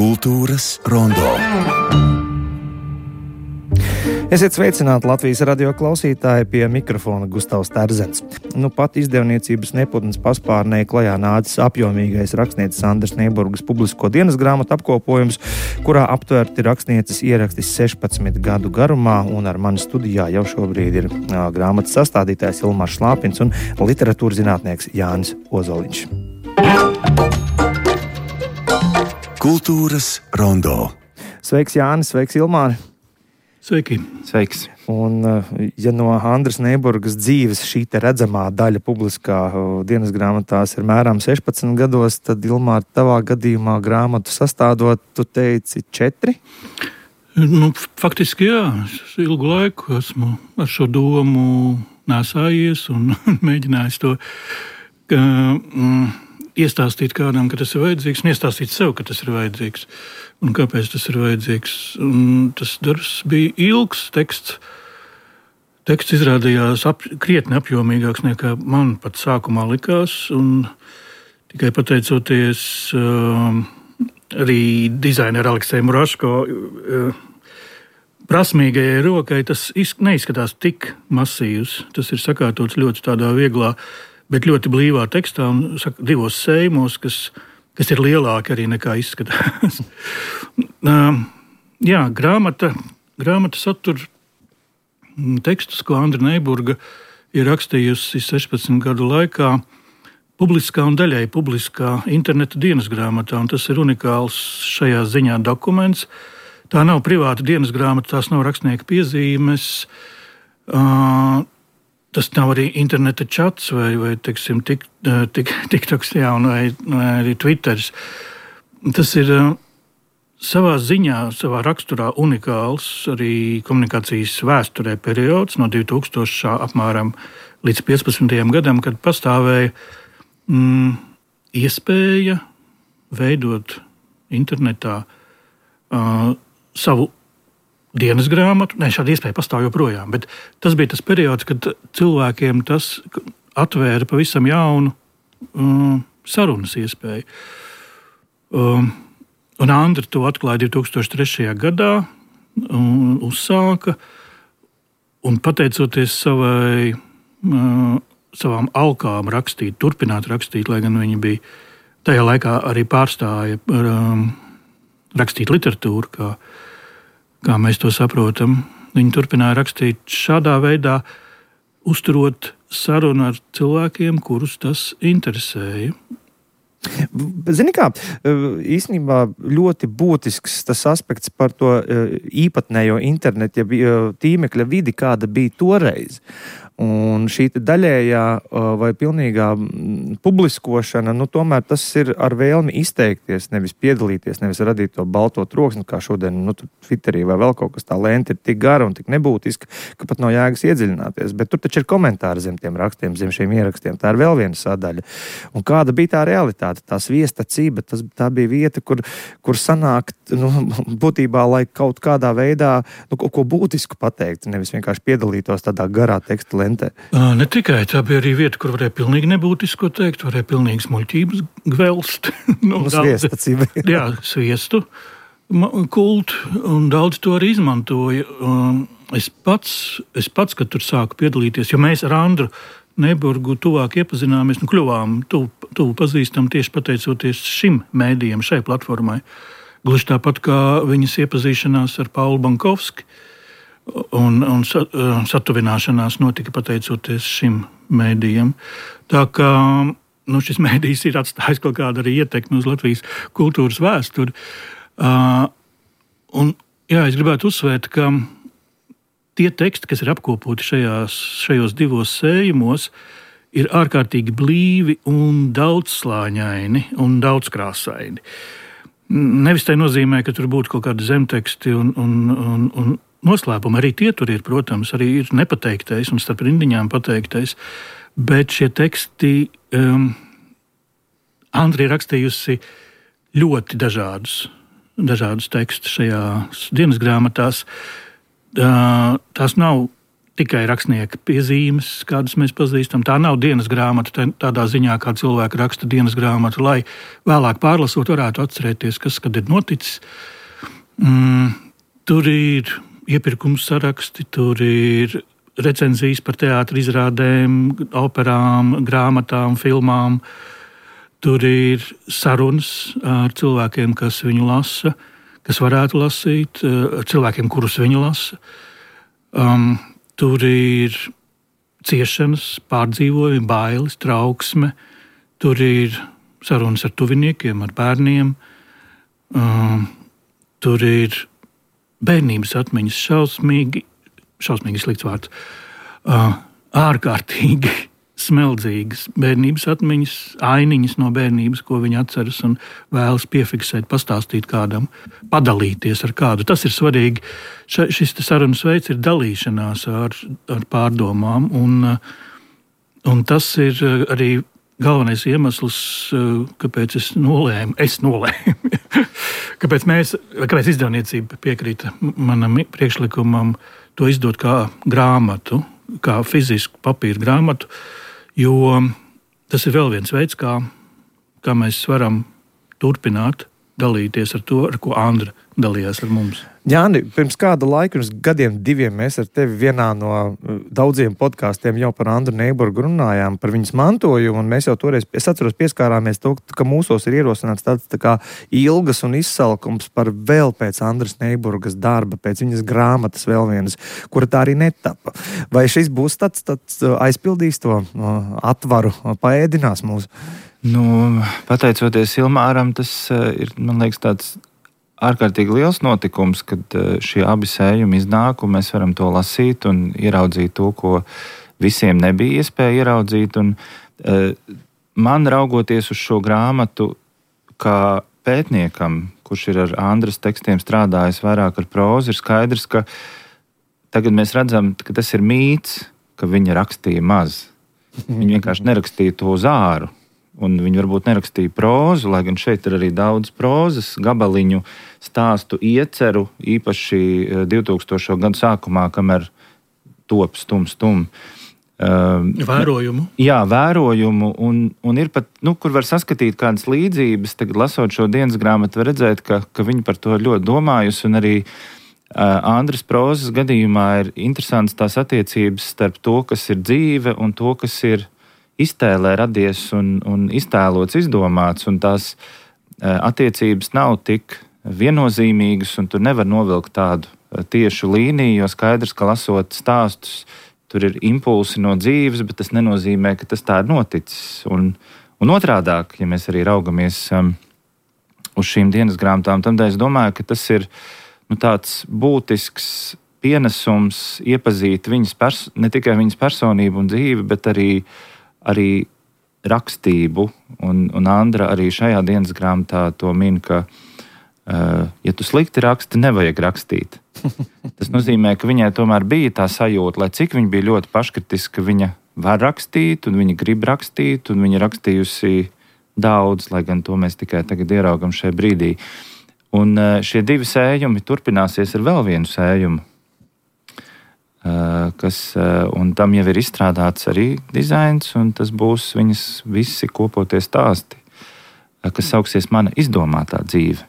Kultūras rondo. Esiet sveicināti Latvijas radio klausītāji, pie mikrofona Gustavs Terzens. Pat izdevniecības Neputnes paspārnē klajā nācis apjomīgais rakstnieces Andras Neiburgas publisko dienas grāmatu apkopojums, kurā aptverti rakstnieces ieraksti 16 gadu garumā, un ar mani studijā jau šobrīd ir grāmatas sastādītājs Ilmārs Šlāpins un literatūras zinātnieks Jānis Ozoliņš. Kultūras rondo. Sveiks, Jānis, sveiks, Ilmāri! Sveiki! Sveiks! Un, ja no Andras Neiburgas dzīves šī te redzamā daļa publiskā dienas grāmatās ir mēram 16 gados, tad, Ilmār, tavā gadījumā grāmatu sastādot, tu teici 4? Faktiski jā. Es ilgu laiku esmu ar šo domu nēsājies un mēģinājis to iestāstīt kādam, ka tas ir vajadzīgs, un iestāstīt sev, ka tas ir vajadzīgs. Un kāpēc tas ir vajadzīgs? Un tas darbs bija ilgs teksts. Teksts izrādījās krietni apjomīgāks nekā man pat sākumā likās. Un tikai pateicoties arī dizaineru Aleksēju Muraško prasmīgajai rokai, tas neizskatās tik masīvs. Tas ir sakārtots ļoti tādā vieglā, bet ļoti blīvā tekstā un divos sējumos, kas ir lielāki arī nekā izskatās. Jā, grāmata satur tekstus, ko Andra Neiburga ir rakstījusi 16 gadu laikā publiskā un daļai publiskā interneta dienas grāmatā, un tas ir unikāls šajā ziņā dokuments. Tā nav privāta dienas grāmata, tās nav rakstnieka piezīmes, tas nav arī interneta čats vai teiksim, TikToks, vai arī Twitters. Tas ir savā ziņā, savā raksturā unikāls arī komunikācijas vēsturē periods no 2000 apmēram līdz 15. gadam, kad pastāvēja iespēja veidot internetā savu dienas grāmatu. Šāda iespēja pastāv joprojām, bet tas bija tas periods, kad cilvēkiem tas atvēra pavisam jaunu sarunas iespēju. Un Andra to atklāja 2003. gadā, uzsāka, un pateicoties savām alkām turpināt rakstīt, lai gan viņa bija tajā laikā arī pārstāja rakstīt literatūru, kā mēs to saprotam. Viņi turpināja rakstīt šādā veidā, uzturot sarunu ar cilvēkiem, kurus tas interesēja. Zini kā, īstenībā ļoti būtisks tas aspekts par to īpatnējo internetu, tīmekļa vidi, kāda bija toreiz. Un šī daļējā vai pilnīgā publiskošana, tomēr tas ir ar vēlmi izteikties, nevis piedalīties, nevis radīt to balto troksni, kā šodien Twitterī vai vēl kaut kas tā lenta ir tik gara un tik nebūtiska, ka pat nav jēgas iedziļināties. Bet tur taču ir komentāri zem tiem rakstiem, zem šiem ierakstiem. Tā ir vēl viena sadaļa. Un kāda bija tā realitāte? Tā sviestacība, tā bija vieta, kur sanākt, būtībā, lai kaut kādā veidā ko būtisku pateikt, nevis vienkārši piedalītos tādā garā teksta lentē. Ne tikai, tā bija arī vieta, kur varēja pilnīgi nebūtisko teikt, varēja pilnīgas muļķības gvelst. Sviestacība. Jā, sviestu kultu, un daudz to arī izmantoja. Es pats, kad tur sāku piedalīties, jo mēs ar Andru Neiburgu tuvāk iepazināmies, kļuvām tuvu pazīstam tieši pateicoties šim mēdījam, šai platformai. Gluži tāpat kā viņas iepazīšanās ar Paulu Bankovski, un satuvināšanās notika pateicoties šim mēdījam. Tā kā šis mēdījis ir atstājis kaut kādu arī ietekmi uz Latvijas kultūras vēsturi. Es gribētu uzsvērt, ka tie teksti, kas ir apkopoti šajos divos sējumos, ir ārkārtīgi blīvi un daudzslāņaini un daudzkrāsaini. Nevis tai nozīmē, ka tur būtu kaut kādi zemteksti un noslēpumi. Arī tie tur ir, protams, arī ir nepateiktais un starp rindiņām pateiktais. Bet šie teksti Andra ir rakstījusi ļoti dažādus tekstus šajās dienas grāmatās. Tās nav tikai rakstnieka piezīmes, kādas mēs pazīstam. Tā nav dienas grāmata tādā ziņā, kā cilvēki raksta dienas grāmatu, lai vēlāk pārlasot varētu atcerēties, kas kad ir noticis. Tur ir iepirkums saraksti, tur ir recenzijas par teātra izrādēm, operām, grāmatām, filmām. Tur ir sarunas ar cilvēkiem, kas viņu lasa, kas varētu lasīt, ar cilvēkiem, kurus viņi lasa. Tur ir ciešanas, pārdzīvojumi, bailes, trauksme. Tur ir sarunas ar tuviniekiem, ar bērniem. Tur ir bērnības atmiņas, šausmīgi slikts vārds, ārkārtīgi smeldzīgas bērnības atmiņas, ainiņas no bērnības, ko viņi atceras un vēlas piefiksēt, pastāstīt kādam, padalīties ar kādu. Tas ir svarīgi. Šis sarunas veids ir dalīšanās ar pārdomām, un tas ir arī galvenais iemesls, kāpēc es nolēmu, kāpēc izdevniecība piekrita manam priekšlikumam to izdot kā grāmatu, kā fizisku papīra grāmatu, jo tas ir vēl viens veids, kā mēs varam turpināt dalīties ar to, ar ko Andra dalījās ar mums. Jāni, pirms kāda laika, pirms gadiem, 2, mēs ar tevi vienā no daudziem podkāstiem jau par Andru Neiburgu runājām, par viņas mantojumu, un mēs jau toreiz, es atceros, pieskārāmies to, ka mūsos ir ierosināts tāds tā kā ilgas un izsalkums par vēl pēc Andras Neiburgas darba, pēc viņas grāmatas vēl vienas, kura tā arī netapa. Vai šis būs tāds aizpildīs to atvaru, paēdinās mūs? Pateicoties Ilmāram, tas ir, man liekas, tāds ārkārtīgi liels notikums, kad šie abi sējumi iznāk, un mēs varam to lasīt un ieraudzīt to, ko visiem nebija iespēja ieraudzīt. Un, man raugoties uz šo grāmatu kā pētniekam, kurš ir ar Andras tekstiem strādājis vairāk ar prózu, ir skaidrs, ka tagad mēs redzam, ka tas ir mīts, ka viņa rakstīja maz. Viņa vienkārši nerakstīja to uz āru. Un viņi varbūt nerakstīja prózu, lai gan šeit ir arī daudz prózas, gabaliņu, stāstu, ieceru, īpaši 2000. Gadu sākumā, kamēr top stum. Vērojumu. Jā, vērojumu, un ir pat, kur var saskatīt kādas līdzības, tagad lasot šo dienas grāmatu, var redzēt, ka viņi par to ļoti domājusi, un arī Andras prózas gadījumā ir interesants tās attiecības starp to, kas ir dzīve, un to, kas ir iztēlē radies un iztēlots, izdomāts, un tās attiecības nav tik viennozīmīgas, un tur nevar novilkt tādu tiešu līniju, jo skaidrs, ka lasot stāstus, tur ir impulsi no dzīves, bet tas nenozīmē, ka tas tā ir noticis. Un otrādāk, ja mēs arī raugamies uz šīm dienas grāmatām, tad es domāju, ka tas ir tāds būtisks pienesums iepazīt ne tikai viņas personību un dzīvi, bet arī rakstību, un Andra arī šajā dienas grāmatā to min, ka, ja tu slikti raksti, nevajag rakstīt. Tas nozīmē, ka viņai tomēr bija tā sajūta, lai cik viņa bija ļoti paškritiska, viņa var rakstīt, un viņa grib rakstīt, un viņa rakstījusi daudz, lai gan to mēs tikai tagad ieraugam šajā brīdī. Un šie 2 sējumi turpināsies ar vēl vienu sējumu, un tam jau ir izstrādāts arī dizains, un tas būs viņas visi kopotie stāsti, kas sauksies Mana izdomātā dzīve.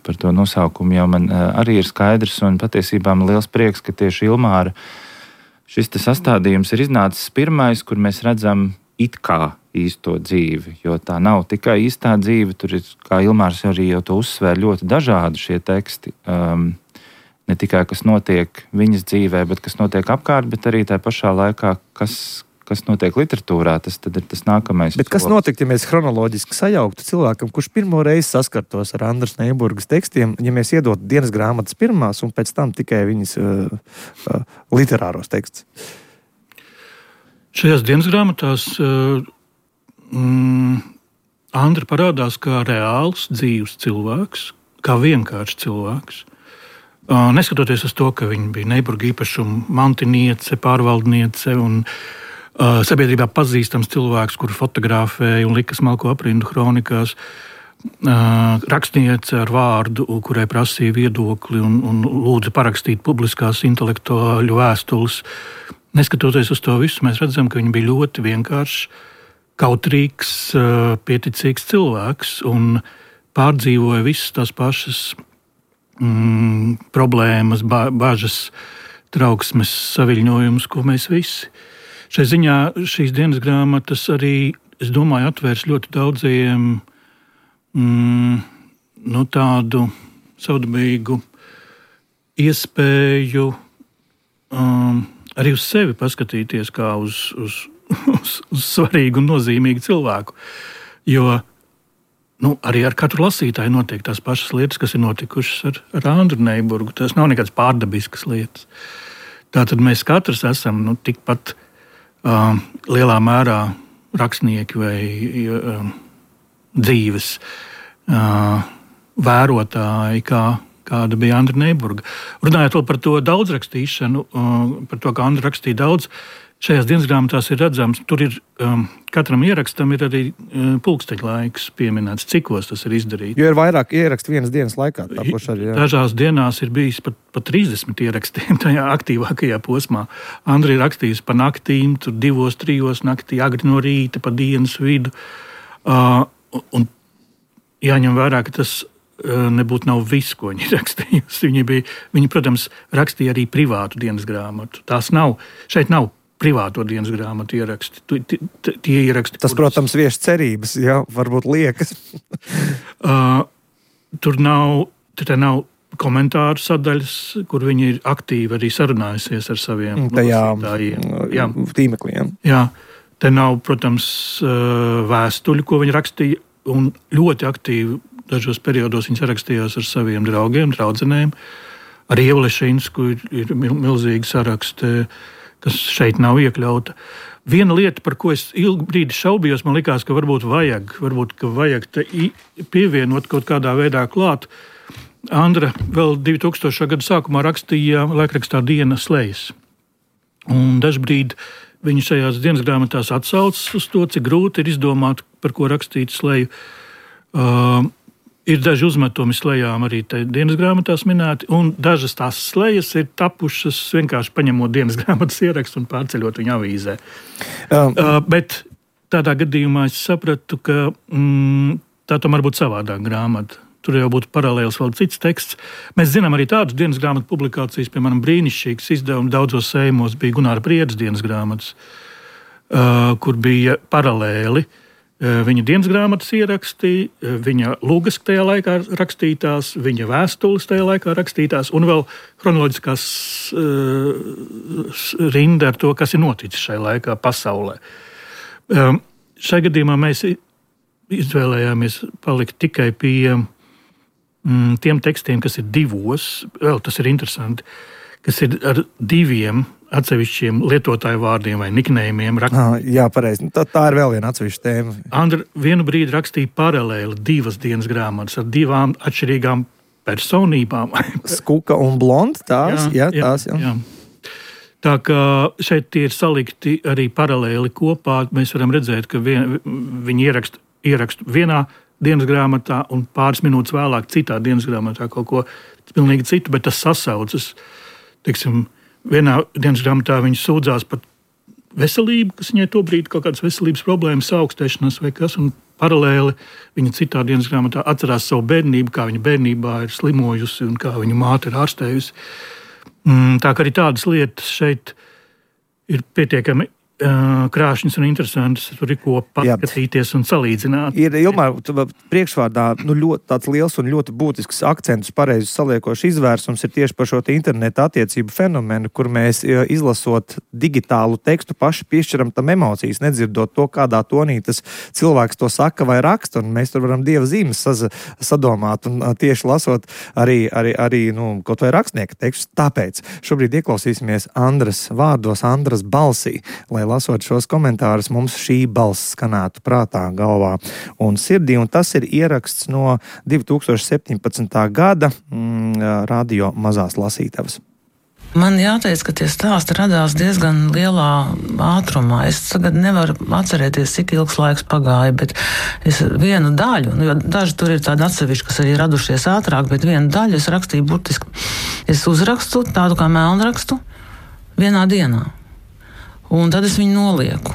Par to nosaukumu jau man arī ir skaidrs, un patiesībā man liels prieks, ka tieši Ilmāra šis sastādījums ir iznācis pirmais, kur mēs redzam it kā īsto dzīvi, jo tā nav tikai īstā dzīve, tur ir, kā Ilmārs arī jau to uzsvēr, ļoti dažādi šie teksti. Ne tikai kas notiek viņas dzīvē, bet kas notiek apkārt, bet arī tā pašā laikā, kas notiek literatūrā, tas tad ir tas nākamais. Bet kas notiktu, ja mēs chronoloģiski sajauktu cilvēkam, kurš pirmo reizi saskartos ar Andras Neiburgas tekstiem, ja mēs iedotu dienas grāmatas pirmās un pēc tam tikai viņas literāros tekstus? Šajās dienas grāmatās Andra parādās kā reāls, dzīvs cilvēks, kā vienkāršs cilvēks. Neskatoties uz to, ka viņa bija Neiburga īpašuma mantiniece, pārvaldniece un sabiedrībā pazīstams cilvēks, kuru fotografēja un lika smalko aprindu kronikās, rakstniece ar vārdu, kurai prasīja viedokli un lūdza parakstīt publiskās intelektuāļu vēstules. neskatoties uz to visu, mēs redzam, ka viņi bija ļoti vienkāršs, kautrīgs, pieticīgs cilvēks un pārdzīvoja visas tās pašas problēmas, bažas, trauksmes, saviļņojumus, ko mēs visi. Šai ziņā šīs dienas grāmatas arī, es domāju, atvērs ļoti daudziem tādu savdabīgu iespēju arī uz sevi paskatīties kā uz svarīgu un nozīmīgu cilvēku. Jo arī ar katru lasītāju notiek tās pašas lietas, kas ir notikušas ar Andru Neiburgu. Tas nav nekāds pārdabiskas lietas. Tātad mēs katrs esam tikpat lielā mērā rakstnieki vai dzīves vērotāji, kāda bija Andra Neiburga. Runājot vēl par to daudzrakstīšanu, par to, ka Andra rakstīja daudz, šajās dienas grāmatās ir redzams, tur ir katram ierakstam ir arī pulksteņa laiks pieminēts, cikos tas ir izdarīts. Jo ir vairāk ierakstu vienas dienas laikā. Dažās dienās ir bijis pat 30 ierakstiem tajā aktīvākajā posmā. Andra ir rakstījusi pa naktīm, tur 2-3 naktī, agri no rīta, pa dienas vidu. Un jāņem vērā, ka tas nebūtu nav viss, ko viņi rakstījusi. Viņi, protams, rakstīja arī privātu dienas grāmatu. Šeit nav privāto dienas grāmatu ieraksti. Tie ieraksti, tas, protams, vieš cerības, jā, varbūt liekas. Tur nav komentāru sadaļas, kur viņi ir aktīvi arī sarunājusies ar saviem tīmekliem. Jā, te nav, protams, vēstuļu, ko viņi rakstīja, un ļoti aktīvi dažos periodos viņi sarakstījās ar saviem draugiem, draudzenēm. Ar Ievu Lešinsku ir milzīgi saraksti, kas šeit nav iekļauta. Viena lieta, par ko es ilgu brīdi šaubījos, man likās, ka varbūt vajag te pievienot kaut kādā veidā klāt. Andra vēl 2000. gada sākumā rakstīja laikrakstā Diena slejas. Un dažbrīd viņi šajās dienas grāmatās atsaucas uz to, cik grūti ir izdomāt, par ko rakstīt sleju. Ir daži uzmetumi slejām arī dienas grāmatās minēti, un dažas tās slejas ir tapušas vienkārši paņemot dienas grāmatas ierakstu un pārceļot viņu avīzē. Bet tādā gadījumā es sapratu, ka tā tomēr būtu savādāk grāmata. Tur jau būtu paralēls vēl cits teksts. Mēs zinām arī tādas dienas grāmatu publikācijas, piemēram, brīnišķīgs izdevums daudzos sējumos bija Gunāra Priedes dienas grāmatas, kur bija paralēli viņa dienas grāmatas ieraksti, viņa lūgas tajā laikā rakstītās, viņa vēstules tajā laikā rakstītās, un vēl chronoloģiskās rinda ar to, kas ir noticis šajā laikā pasaulē. Šai gadījumā mēs izvēlējāmies palikt tikai pie tiem tekstiem, kas ir divos, vēl tas ir interesanti, kas ir ar diviem atsevišķiem lietotāju vārdiem vai niknējumiem. Jā, pareizi. Tā ir vēl viena atsevišķa tēma. Andra vienu brīdi rakstīja paralēli 2 dienas grāmatas ar 2 atšķirīgām personībām. Skuka un blonda tās? Jā. Tā kā šeit tie ir salikti arī paralēli kopā, mēs varam redzēt, ka viņi ierakstu vienā dienas grāmatā un pāris minūtes vēlāk citā dienas grāmatā kaut ko pilnīgi citu, bet tas sasaucas. Teiksim, vienā dienas grāmatā viņi sūdzās par veselību, kas viņai tobrīd kaut kādas veselības problēmas, augstēšanās vai kas, un paralēli viņa citā dienas grāmatā atcerās savu bērnību, kā viņa bērnībā ir slimojusi un kā viņa māte ir ārstējusi. Tā kā arī tādas lietas šeit ir pietiekami krāšņas un interesantas, tur ir ko paskatīties un salīdzināt. Ir Ilmār priekšvārdā ļoti tāds liels un ļoti būtisks akcentus pareizi saliekošs izvērsums ir tieši par šo interneta attiecību fenomenu, kur mēs izlasot digitālu tekstu paši piešķiram tam emocijas, nedzirdot to, kādā tonī tas cilvēks to saka vai raksta, un mēs tur varam dieva zīmes sadomāt, un tieši lasot arī kaut vai rakstnieka tekstu. Tāpēc šobrīd ieklausīsimies Andras vārdos, Andras balsī, lai lasot šos komentārus, mums šī balss skanētu prātā, galvā un sirdī, un tas ir ieraksts no 2017. gada radio Mazās lasītavas. Man jāteic, ka tie stāsti radās diezgan lielā ātrumā. Es tagad nevaru atcerēties, cik ilgs laiks pagāja, bet es vienu daļu, jo daži tur ir tādi atsevišķi, kas arī radušies ātrāk, bet vienu daļu es rakstīju burtiski. Es uzrakstu tādu kā melnrakstu vienā dienā. Un tad es viņu nolieku.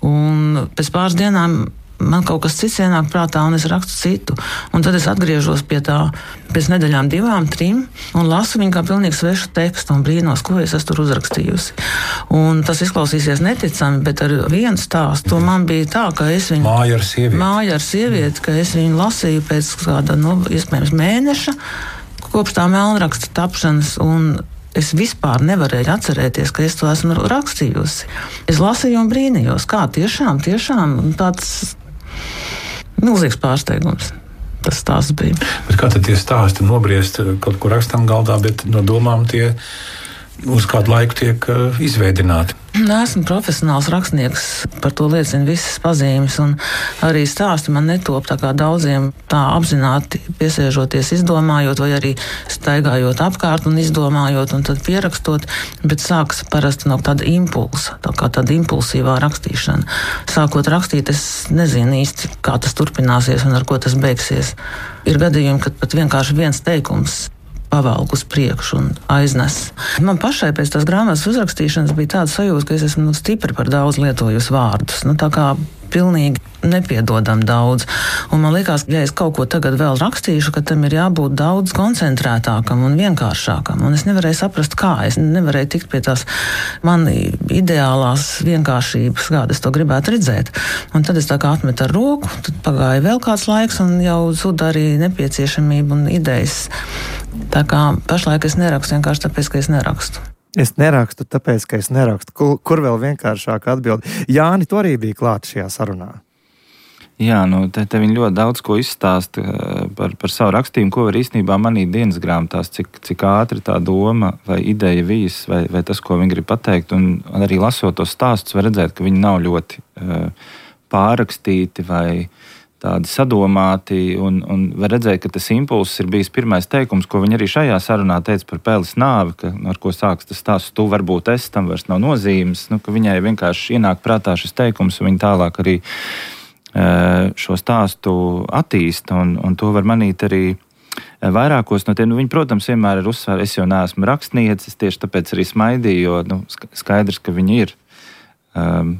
Un pēc pāris dienām man kaut kas cits ienāk prātā, un es rakstu citu. Un tad es atgriežos pie tā pēc nedēļām 2, 3, un lasu viņu kā pilnīgi svešu tekstu un brīnos, ko es esmu tur uzrakstījusi. Un tas izklausīsies neticami, bet ar vienu stāstu man bija tā, ka es viņu... Māja ar sievieti, ka es viņu lasīju pēc kāda, iespējams, mēneša, kopš tā melnraksta tapšanas, un es vispār nevarēju atcerēties, ka es to esmu rakstījusi. Es lasīju un brīnījos, kā tiešām tāds milzīgs pārsteigums. Tas stāsts bija. Bet kā tad tie stāsti nobriest kaut kur rakstam galdā, bet no domām tie uz kādu laiku tiek izveidināti? Esmu profesionāls rakstnieks, par to liecina visas pazīmes, un arī stāsti man netop tā kā daudziem tā apzināti piesēžoties, izdomājot, vai arī staigājot apkārt un izdomājot, un tad pierakstot, bet sāks parasti no tāda impulsa, tā kā tāda impulsīvā rakstīšana. Sākot rakstīt, es nezinu īsti, kā tas turpināsies un ar ko tas beigsies. Ir gadījumi, kad pat vienkārši viens teikums pavelk uz priekšu un aiznes. Man pašai pēc tās grāmatas uzrakstīšanas bija tāda sajūta, ka es esmu stipri par daudz lietojusi vārdus. Tā kā pilnīgi nepiedodam daudz. Un man liekas, ja es kaut ko tagad vēl rakstīšu, ka tam ir jābūt daudz koncentrētākam un vienkāršākam. Un es nevarēju saprast, kā. Es nevarēju tikt pie tās man ideālās vienkāršības, kāda es to gribētu redzēt. Un tad es tā kā atmetu ar roku, tad pagāja vēl kāds laiks un jau zuda arī nepieciešamība un idejas. Tā kā pašlaik es nerakstu vienkārši tāpēc, ka es nerakstu. Es nerakstu, tāpēc, ka es nerakstu. Kur vēl vienkāršāk atbild? Jāni, tu arī bija klāt šajā sarunā. Jā, te viņi ļoti daudz ko izstāsta par savu rakstījumu, ko var īstenībā manīt dienas grāmatās, cik ātri tā doma vai ideja vijas, vai tas, ko viņi grib pateikt. Un arī lasot tos stāstus, var redzēt, ka viņi nav ļoti pārrakstīti vai tādi sadomāti, un var redzēt, ka tas impulss ir bijis pirmais teikums, ko viņi arī šajā sarunā teica par Peles nāvi, ar ko sāks tas stāsts, tu varbūt es, tam vairs nav nozīmes, ka viņai vienkārši ienāk prātā šis teikums, un viņi tālāk arī šo stāstu attīsta, un to var manīt arī vairākos no tiem. Viņi, protams, vienmēr ir uzsvēri, es jau neesmu rakstniecis, tieši tāpēc arī smaidīju, jo skaidrs, ka viņi ir.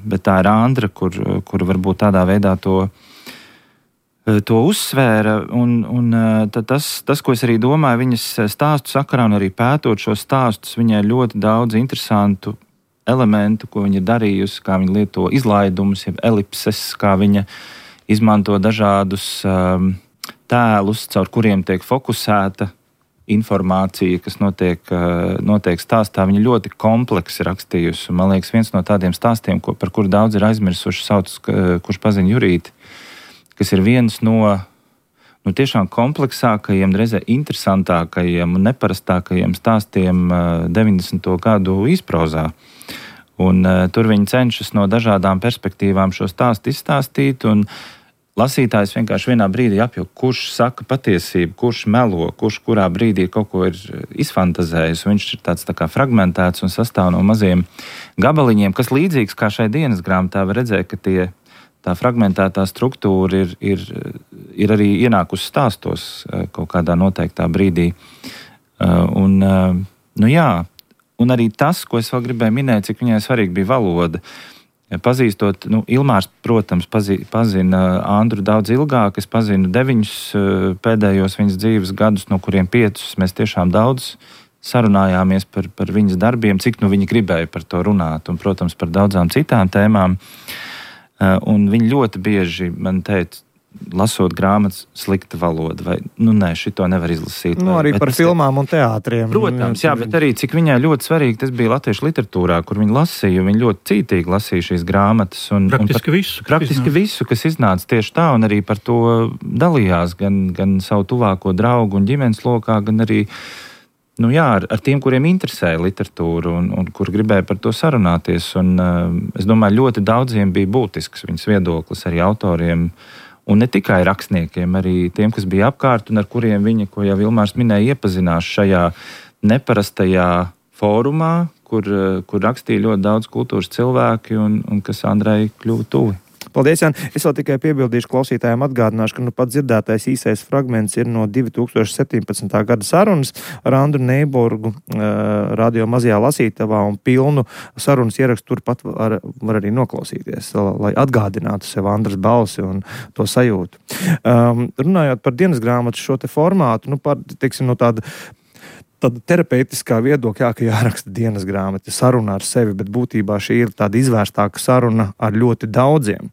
Bet tā ir Andra, kur varbūt tādā veidā to uzsvēra, un tas, ko es arī domāju, viņas stāstu sakarā un arī pētot šos stāstus, viņai ļoti daudz interesantu elementu, ko viņa ir darījusi, kā viņa lieto izlaidumus, jeb elipses, kā viņa izmanto dažādus tēlus, caur kuriem tiek fokusēta informācija, kas notiek stāstā. Viņa ļoti kompleksi rakstījusi, un man liekas, viens no tādiem stāstiem, par kuru daudz ir aizmirsuši, sauc, kurš pazina Jurīti, kas ir viens no tiešām kompleksākajiem, reizē interesantākajiem un neparastākajiem stāstiem 90. gadu īsprozā. Un tur viņi cenšas no dažādām perspektīvām šo stāstu izstāstīt, un lasītājs vienkārši vienā brīdī apjūt, kurš saka patiesību, kurš melo, kurš kurā brīdī kaut ko ir izfantazējis. Viņš ir tāds tā kā fragmentēts un sastāv no maziem gabaliņiem, kas līdzīgs kā šai dienas grāmatā var redzēt, ka tā fragmentētā struktūra ir arī ienākusi stāstos kaut kādā noteiktā brīdī. Un arī tas, ko es vēl gribēju minēt, cik viņai svarīgi bija valoda. Pazīstot, Ilmārs, protams, pazina Andru daudz ilgāk. Es pazinu 9 pēdējos viņas dzīves gadus, no kuriem 5 mēs tiešām daudz sarunājāmies par viņas darbiem, cik viņa gribēja par to runāt, un, protams, par daudzām citām tēmām. Un viņi ļoti bieži man teica, lasot grāmatas, slikta valoda, vai, nē, šito nevar izlasīt. Arī par filmām un teātriem. Protams, jā, bet arī cik viņai ļoti svarīgi tas bija latviešu literatūrā, kur viņi lasīja, viņi ļoti cītīgi lasīja šīs grāmatas. Praktiski visu, kas iznāca tieši tā, un arī par to dalījās gan savu tuvāko draugu un ģimenes lokā, gan arī ar tiem, kuriem interesēja literatūra un kur gribēja par to sarunāties. Un, es domāju, ļoti daudziem bija būtisks viņas viedoklis, arī autoriem, un ne tikai rakstniekiem, arī tiem, kas bija apkārt un ar kuriem viņa, ko jau Ilmārs minēja, iepazinās šajā neparastajā fórumā, kur rakstīja ļoti daudz kultūras cilvēki un kas Andrai kļuva tuvi. Paldies, Jāni. Es vēl tikai piebildīšu klausītājiem, atgādināšu, ka pat dzirdētais īsais fragments ir no 2017. gada sarunas ar Andru Neiburgu radio mazajā lasītavā, un pilnu sarunas ierakstu turpat var arī noklausīties, lai atgādinātu sev Andras balsi un to sajūtu. Runājot par dienas grāmatu šo te formātu, teiksim, no tāda terapeitiskā viedokļā, ka jāraksta dienas grāmata, saruna ar sevi, bet būtībā šī ir tāda izvērstāka saruna ar ļoti daudziem.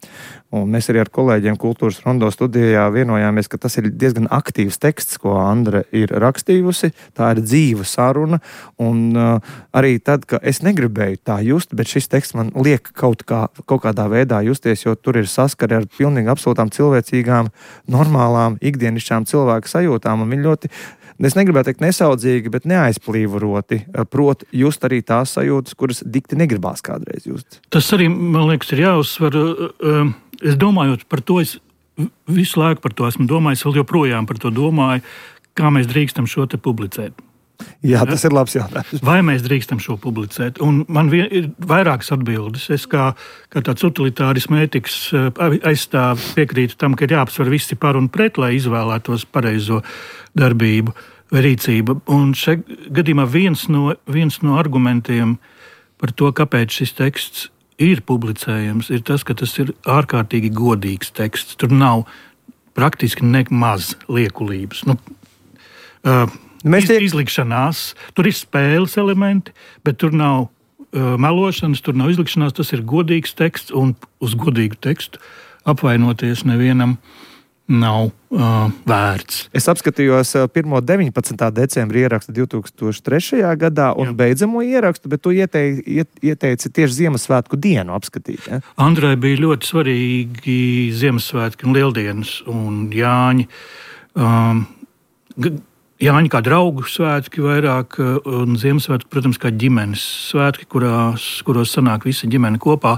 Un mēs arī ar kolēģiem Kultūras Rondo studijā vienojāmies, ka tas ir diezgan aktīvs teksts, ko Andra ir rakstījusi. Tā ir dzīva saruna, un arī tad, ka es negribēju tā just, bet šis teksts man liek kaut kādā veidā justies, jo tur ir saskari ar pilnīgi absolūtām cilvēcīgām, normālām, ikdienišķām cilvēku sajūtām, un viņi ļoti, es negribētu teikt nesaudzīgi, bet neaizplīvoroti, prot just arī tās sajūtas, kuras dikti negribās kādreiz just. Tas arī, man liekas, ir jāuzsver. Es domājot par to, es visu laiku par to esmu domājis, vēl joprojām par to domāju, kā mēs drīkstam šo te publicēt. Jā, tas ir labs jautājums. Vai mēs drīkstam šo publicēt? Un man ir vairākas atbildes. Es kā tāds utilitārismu ētikas aizstāv piekrītu tam, ka ir jāapsver visi par un pret, lai izvēlētos pareizo darbību vai rīcību. Un šeit gadījumā viens no argumentiem par to, kāpēc šis teksts ir publicējams, ir tas, ka tas ir ārkārtīgi godīgs teksts. Tur nav praktiski nemaz liekulības. Izlikšanās, tur ir spēles elementi, bet tur nav melošanas, tur nav izlikšanās, tas ir godīgs teksts, un uz godīgu tekstu apvainoties nevienam nav vērts. Es apskatījos pirmo 19. decembra ierakstu 2003. gadā un beidzamo ierakstu, bet tu ieteici tieši Ziemassvētku dienu apskatīt. Ja? Andrai bija ļoti svarīgi Ziemassvētki un Lieldienas un Jāņi. Jāņi kā draugu svētki vairāk, un Ziemassvētki, protams, kā ģimenes svētki, kuros sanāk visa ģimene kopā.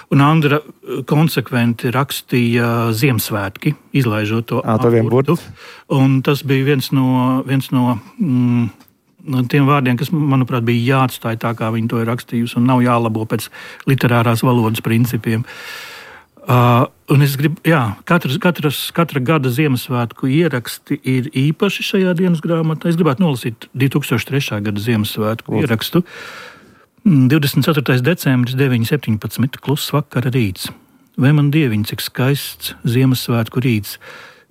Un Andra konsekventi rakstīja Ziemassvētki, izlaižot to burtu. Un tas bija viens no tiem vārdiem, kas, manuprāt, bija jāatstāj tā, kā viņi to ir rakstījusi, un nav jālabo pēc literārās valodas principiem. Un es gribu, katra gada Ziemassvētku ieraksti ir īpaši šajā dienas grāmatā. Es gribētu nolasīt 2003. gada Ziemassvētku ierakstu. 24. decembris 9.17. Kluss vakara rīts. Vai man dieviņ, cik skaists Ziemassvētku rīts.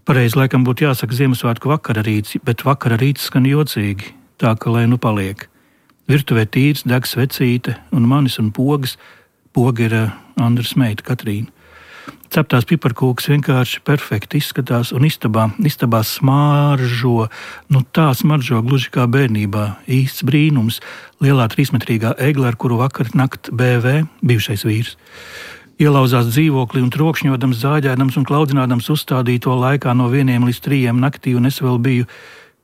Pareizi laikam būtu jāsaka Ziemassvētku vakara rīts, bet vakara rīts skan jocīgi, tā ka lai nu paliek. Virtuvē tīrs, deg svecīte un manis un pogas. Poga ir Andras meita Katrīna. Ceptās piparkūkas vienkārši perfekti izskatās un istabā smaržo, tā smaržo gluži kā bērnībā. Īsts brīnums, lielā 3-metrīgā egle, ar kuru vakar nakt BV, bijušais vīrs. Ielauzās dzīvoklī un trokšņodams, zāģēdams un klaudzinādams uzstādīto laikā no 1 līdz 3 naktī, un es vēl biju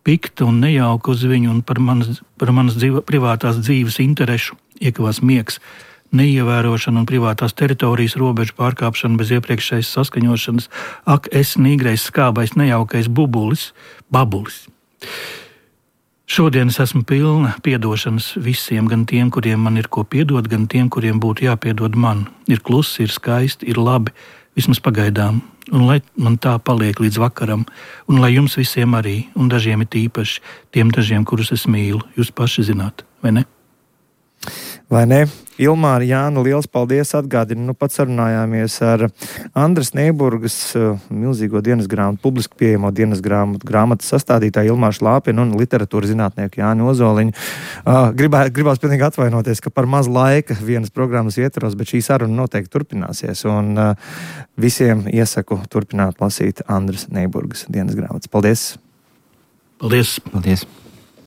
pikta un nejauka uz viņu, un par manas privātās dzīves interešu iekavās miegs. Neievērošana un privātās teritorijas robežu pārkāpšana bez iepriekšējas saskaņošanas, es nīgrais, skābais, nejaukais babulis. Šodien es esmu pilna piedošanas visiem, gan tiem, kuriem man ir ko piedot, gan tiem, kuriem būtu jāpiedod man. Ir klusi, ir skaisti, ir labi, vismaz pagaidām, un lai man tā paliek līdz vakaram, un lai jums visiem arī, un dažiem ir īpaši, tiem dažiem, kurus es mīlu, jūs paši zināt, vai ne? Vai ne? Ilmāra, Jāna, liels paldies, atgādinu, pat sarunājāmies ar Andras Neiburgas milzīgo dienas grāmatu, publiski pieejamo dienas grāmatas sastādītāju Ilmāru Šlāpinu un literatūras zinātnieku Jāni Ozoliņu. Gribās pilnīgi atvainoties, ka par maz laika vienas programmas ietvaros, bet šī saruna noteikti turpināsies, un visiem iesaku turpināt lasīt Andras Neiburgas dienas grāmatas. Paldies! Paldies! Paldies!